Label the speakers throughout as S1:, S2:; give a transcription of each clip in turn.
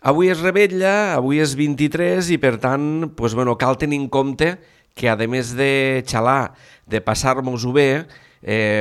S1: Avui es rebetlla, avui és 23 i per tant cal tenir en compte que a més de xalar, de passar-nos-ho bé,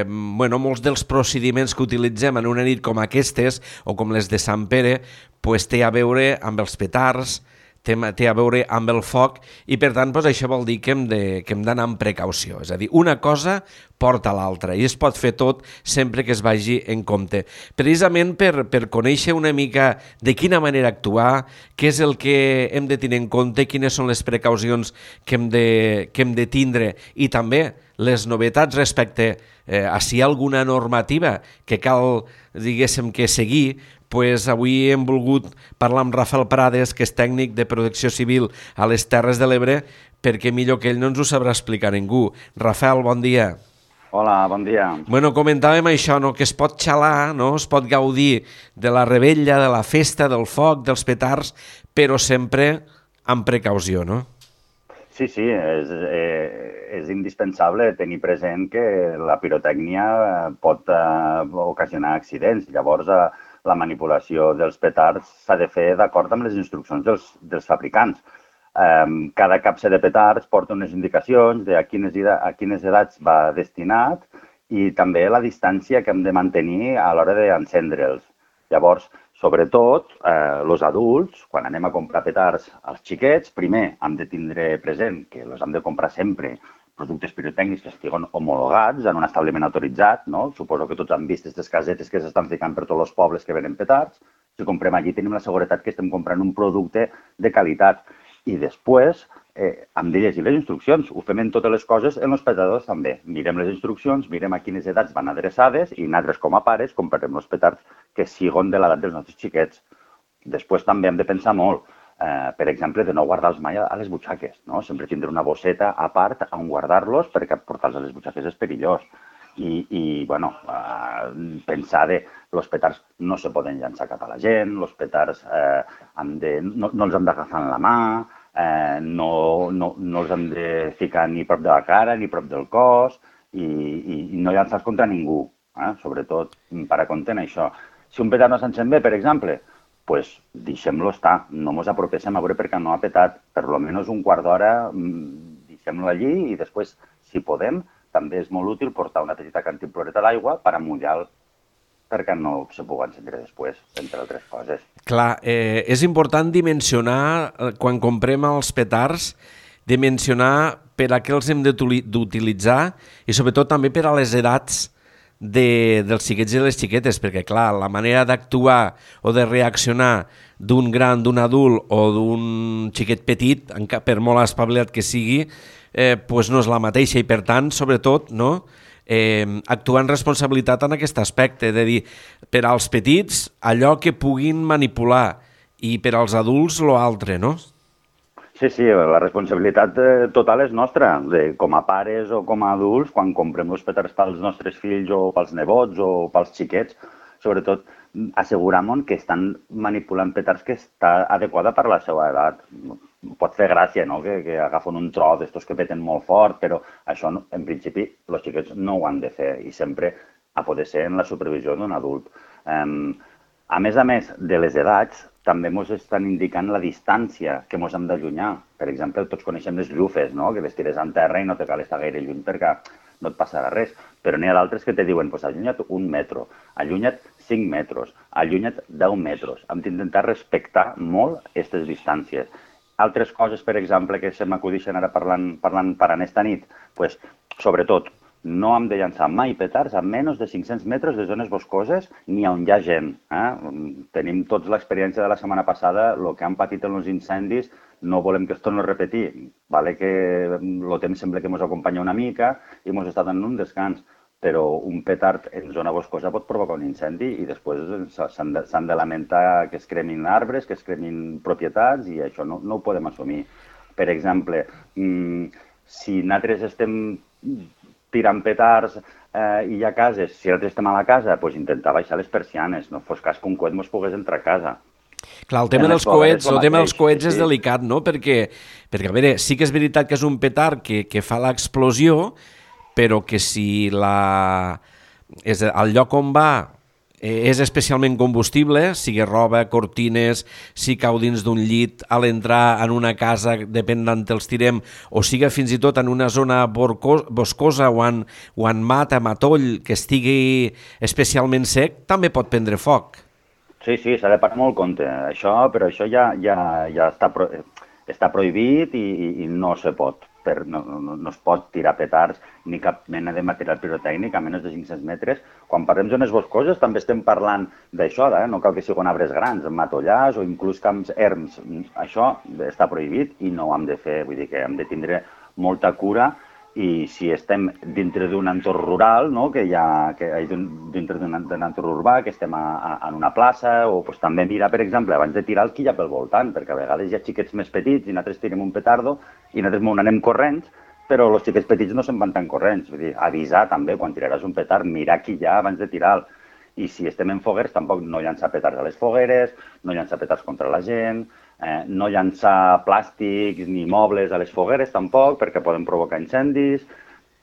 S1: molts dels procediments que utilitzem en una nit com aquestes o com les de Sant Pere té a veure amb els petards, té a veure amb el foc i per tant això vol dir que hem d'anar amb precaució. És a dir, una cosa porta l'altra i es pot fer tot sempre que es vagi en compte. Precisament per conèixer una mica de quina manera actuar, què és el que hem de tenir en compte, quines són les precaucions que hem de tindre i també les novetats respecte a si hi ha alguna normativa que cal, diguéssim, que seguir. Avui hem volgut parlar amb Rafael Prades, que és tècnic de protecció civil a les Terres de l'Ebre, perquè millor que ell no ens ho sabrà explicar ningú. Rafael, bon dia.
S2: Hola, bon dia.
S1: Comentàvem això, no? Que es pot xalar, no? Es pot gaudir de la rebella, de la festa, del foc, dels petards, però sempre amb precaució, no?
S2: Sí, és indispensable tenir present que la pirotècnia pot ocasionar accidents. Llavors, la manipulació dels petards s'ha de fer d'acord amb les instruccions dels fabricants. Cada capse de petards porta unes indicacions de a quines edats va destinat i també la distància que hem de mantenir a l'hora d'encendre'ls. Llavors, sobretot, els adults, quan anem a comprar petards als xiquets, primer hem de tindre present que els hem de comprar sempre productes pirotècnics que estiguin homologats en un establiment autoritzat, no? Suposo que tots han vist aquestes casetes que s'estan ficant per tots els pobles que venen petards. Si comprem allí tenim la seguretat que estem comprant un producte de qualitat. I després hem de llegir les instruccions. Ho fem en totes les coses, en els petardors també. Mirem les instruccions, mirem a quines edats van adreçades i nosaltres com a pares comprarem els petards que siguin de l'edat dels nostres xiquets. Després també hem de pensar molt, per exemple, de no guardar-los mai a les butxaques, no? Sempre tindre una bosseta a part on guardar-los perquè portar-los a les butxaques és perillós. Pensar que els petards no se poden llançar cap a la gent, els petards no els hem d'agafar en la mà, no els hem de ficar ni prop de la cara ni prop del cos i no llançar-los contra ningú, sobretot per a compte en això. Si un petard no s'encén bé, per exemple, doncs deixem-lo estar, no ens apropéssim a veure perquè no ha petat, per almenys un quart d'hora deixem-lo allí i després, si podem, també és molt útil portar una petita cantimploreta d'aigua per amullar-lo perquè no se pugui encendre després, entre altres coses.
S1: Clar, és important dimensionar, quan comprem els petards, dimensionar per a què els hem d'utilitzar i sobretot també per a les edats dels xiquets i les xiquetes, perquè clar, la manera d'actuar o de reaccionar d'un gran, d'un adult o d'un xiquet petit, per molt espavilat que sigui, no és la mateixa i per tant, sobretot, no? Actuar en responsabilitat en aquest aspecte, de dir, per als petits allò que puguin manipular i per als adults l'altre, no?
S2: Sí, la responsabilitat total és nostra, com a pares o com a adults, quan comprem els petards pels nostres fills o pels nebots o pels xiquets, sobretot assegurar-nos que estan manipulant petards que està adequada per la seva edat. Pot fer gràcia, no?, que agafen un tro d'estos que peten molt fort, però això, en principi, els xiquets no ho han de fer i sempre ha poder ser en la supervisió d'un adult. A més de les edats, també ens estan indicant la distància que ens hem d'allunyar. Per exemple, tots coneixem les llufes, no?, que les tires en terra i no te cal estar gaire lluny perquè no et passarà res. Però n'hi ha d'altres que te diuen, allunya't 1 metre, allunya't 5 metres, allunya't 10 metres. Hem d'intentar respectar molt aquestes distàncies. Altres coses, per exemple, que se m'acudixen ara parlant per aquesta nit, sobretot, no hem de llançar mai petards a menys de 500 metres de zones boscoses ni on hi ha gent. Tenim tots l'experiència de la setmana passada, el que han patit en els incendis, no volem que es torni a repetir. Vale que el temps sembla que ens acompanya una mica i ens està donant un descans, però un petard en zona boscosa pot provocar un incendi i després s'han de lamentar que es cremin arbres, que es cremin propietats i això no ho podem assumir. Per exemple, si nosaltres estem tirant petards i hi ha cases, si nosaltres estem a la casa, intentar baixar les persianes, no fos cas que un coet ens pogués entrar a casa.
S1: Clar, el tema dels coets és delicat, no? Perquè, a veure, sí que és veritat que és un petard que fa l'explosió, però que si el lloc on va és especialment combustible, sigui roba, cortines, si cau dins d'un llit a l'entrar en una casa, depèn d'on els tirem, o sigui fins i tot en una zona boscosa o en matoll que estigui especialment sec, també pot prendre foc.
S2: Sí, s'ha de parar molt compte. Però això ja està prohibit i no se pot. No es pot tirar petards ni cap mena de material pirotècnic a menys de 500 metres. Quan parlem de zones boscoses també estem parlant d'això, no cal que siguin arbres grans, matollars o inclús camps erms. Això està prohibit i no ho hem de fer, vull dir que hem de tindre molta cura. I si estem dintre d'un entorn rural, dintre d'un entorn urbà, que estem en una plaça, o també mirar, per exemple, abans de tirar el que hi ha pel voltant, perquè a vegades hi ha xiquets més petits i nosaltres tirem un petardo i nosaltres anem corrents, però els xiquets petits no se'n van tan corrents. Vull dir, avisar també, quan tiraràs un petard, mirar qui hi ha abans de tirar-lo. I si estem en fogueres, tampoc no llançar petards a les fogueres, no llançar petards contra la gent, no llançar plàstics ni mobles a les fogueres tampoc, perquè poden provocar incendis.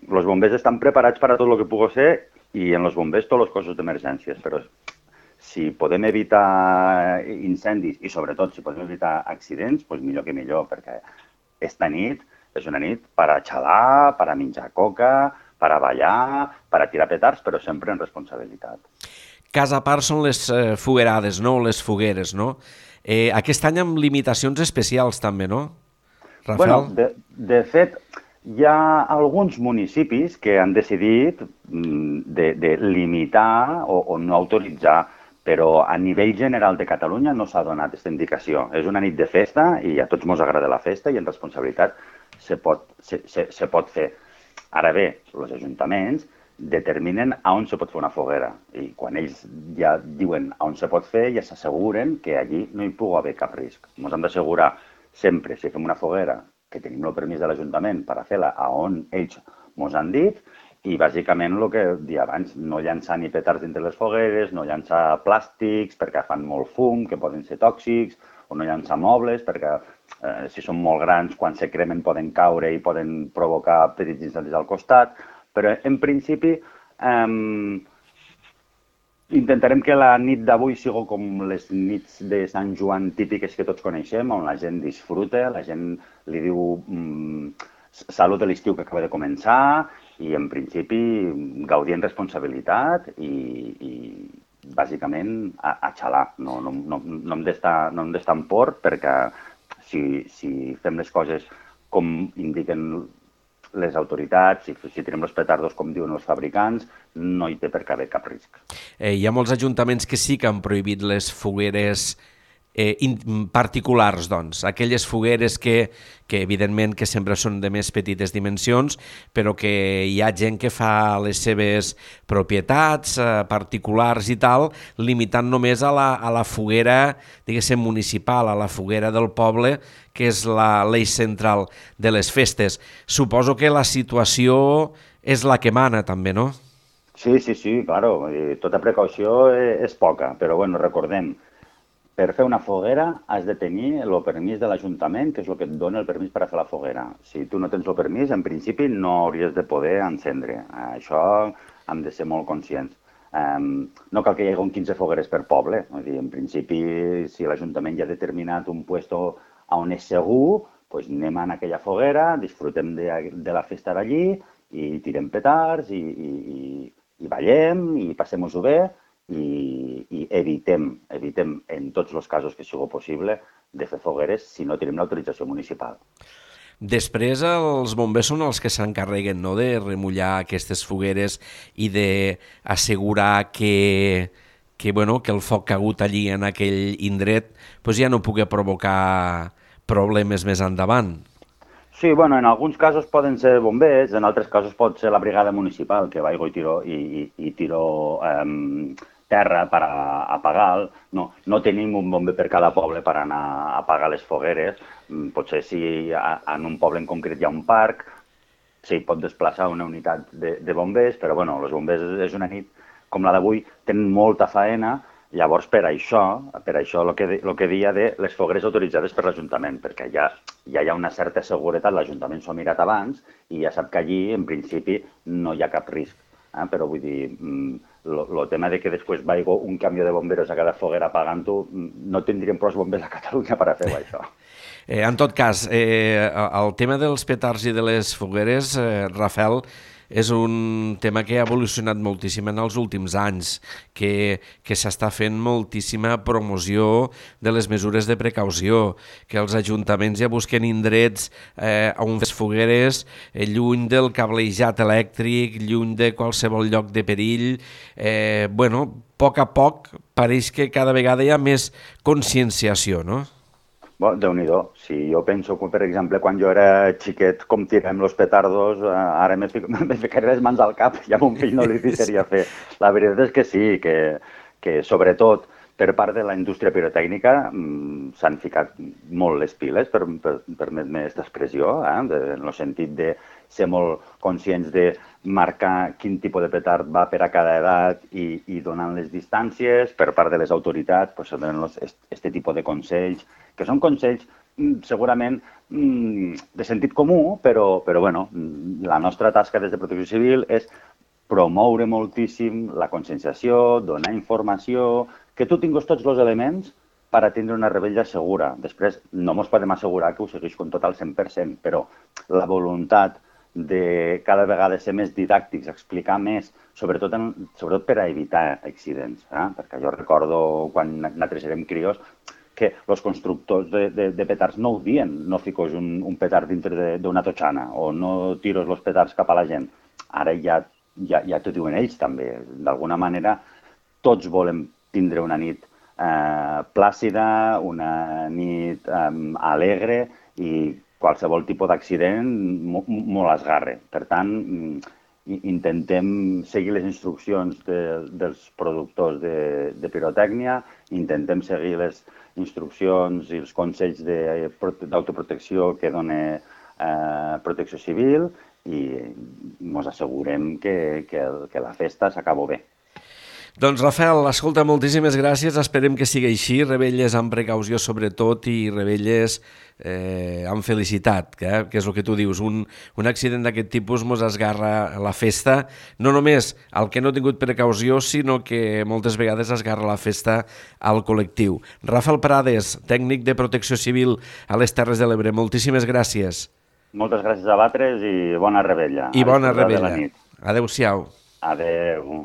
S2: Els bombers estan preparats per a tot el que pugui ser i en els bombers tots els cossos d'emergències, però si podem evitar incendis i sobretot si podem evitar accidents, doncs millor que millor, perquè esta nit és una nit per a xalar, per a menjar coca, per a ballar, per a tirar petards, però sempre en responsabilitat.
S1: Cas a part són les foguerades, no? Les fogueres, no? Aquest any amb limitacions especials també, no, Rafael?
S2: Bueno, de fet, hi ha alguns municipis que han decidit de limitar o no autoritzar, però a nivell general de Catalunya no s'ha donat aquesta indicació. És una nit de festa i a tots ens agrada la festa i en responsabilitat se pot fer. Ara bé, els ajuntaments determinen on se pot fer una foguera i quan ells ja diuen on se pot fer ja s'asseguren que allí no hi pugui haver cap risc. Ens hem d'assegurar sempre, si fem una foguera, que tenim el permís de l'Ajuntament per a fer-la a on ells ens han dit i bàsicament el que dia abans, no llançar ni petards dintre les fogueres, no llançar plàstics perquè fan molt fum, que poden ser tòxics, o no llançar mobles perquè si són molt grans quan se cremen poden caure i poden provocar petits incendis al costat. Però, en principi, intentarem que la nit d'avui sigui com les nits de Sant Joan típiques que tots coneixem, on la gent disfruta, la gent li diu salut de l'estiu que acaba de començar i, en principi, gaudir en responsabilitat i bàsicament, a xalar. No hem d'estar en por perquè si fem les coses com indiquen les autoritats, si tenim els petardos com diuen els fabricants, no hi té per què haver cap risc.
S1: Hi ha molts ajuntaments que sí que han prohibit les fogueres particulars, doncs. Aquelles fogueres que evidentment que sempre són de més petites dimensions, però que hi ha gent que fa les seves propietats particulars i tal, limitant només a la foguera, diguéssim, municipal, a la foguera del poble, que és l'eix central de les festes. Suposo que la situació és la que mana, també, no?
S2: Sí, claro. Tota precaució és poca, però bueno, recordem, per fer una foguera has de tenir el permís de l'Ajuntament, que és el que et dona el permís per a fer la foguera. Si tu no tens el permís, en principi no hauries de poder encendre. Això hem de ser molt conscients. No cal que hi hagi 15 fogueres per poble. En principi, si l'Ajuntament ja ha determinat un lloc on és segur, doncs anem a aquella foguera, disfrutem de la festa d'allí i tirem petards i ballem i passem-nos-ho bé. I evitem en tots els casos que sigui possible de fer fogueres si no tenim l'autorització municipal.
S1: Després els bombers són els que s'encarreguen, no?, de remullar aquestes fogueres i d'assegurar que el foc que ha hagut allí en aquell indret ja no pugui provocar problemes més endavant.
S2: Sí, bueno, en alguns casos poden ser bombers, en altres casos pot ser la brigada municipal que va i tiro terra per apagar. No tenim un bomber per cada poble per anar a apagar les fogueres. Potser si en un poble en concret hi ha un parc, s'hi pot desplaçar una unitat de bombers, però bueno, els bombers és una nit com la d'avui, tenen molta faena. Llavors, per això el que deia de les fogueres autoritzades per l'Ajuntament, perquè ja hi ha una certa seguretat, l'Ajuntament s'ho ha mirat abans i ja sap que allí, en principi, no hi ha cap risc. Però vull dir, el tema de que després vagi un camió de bomberos a cada foguera apagant-ho, no tindríem prou bombers a Catalunya per a fer això.
S1: En tot cas, el tema dels petards i de les fogueres, Rafael, és un tema que ha evolucionat moltíssim en els últims anys, que s'està fent moltíssima promoció de les mesures de precaució, que els ajuntaments ja busquen indrets on les fogueres, lluny del cablejat elèctric, lluny de qualsevol lloc de perill. A poc a poc pareix que cada vegada hi ha més conscienciació, no?
S2: Bueno, Déu-n'hi-do. Si jo penso que, per exemple, quan jo era xiquet, com tirem los petardos, ara me ficaré les mans al cap i a mon fill no li deixaria fer. La veritat és que sí, que sobretot per part de la indústria pirotècnica s'han ficat molt les piles, permet-me aquesta expressió, en el sentit de ser molt conscients de marcar quin tipus de petard va per a cada edat i donant les distàncies per part de les autoritats, pues, donen aquest tipus de consells, que són consells segurament de sentit comú, però bueno, la nostra tasca des de Protecció Civil és promoure moltíssim la conscienciació, donar informació, que tu tinguis tots els elements per a tindre una rebella segura. Després, no ens podem assegurar que ho segueix com tot al 100%, però la voluntat de cada vegada ser més didàctics, explicar més, sobretot per a evitar accidents. Perquè jo recordo quan nosaltres érem crios que els constructors de petards no ho dien, no fiques un petard dintre d'una totxana o no tires els petards cap a la gent. Ara ja t'ho diuen ells també. D'alguna manera, tots volem tindre una nit plàcida, una nit alegre i qualsevol tipus d'accident molt esgarre. Per tant, intentem seguir les instruccions dels productors de pirotècnia, intentem seguir les instruccions i els consells d'autoprotecció que dona Protecció Civil i ens assegurem que la festa s'acaba bé.
S1: Doncs, Rafael, escolta, moltíssimes gràcies. Esperem que sigui així, rebelles amb precaució sobretot i rebelles amb felicitat, que és el que tu dius. Un accident d'aquest tipus ens esgarra la festa, no només al que no ha tingut precaució, sinó que moltes vegades esgarra la festa al col·lectiu. Rafael Prades, tècnic de Protecció Civil a les Terres de l'Ebre, moltíssimes gràcies.
S2: Moltes gràcies a vosaltres i bona rebella.
S1: I bona rebella. Adéu-siau.
S2: Adéu.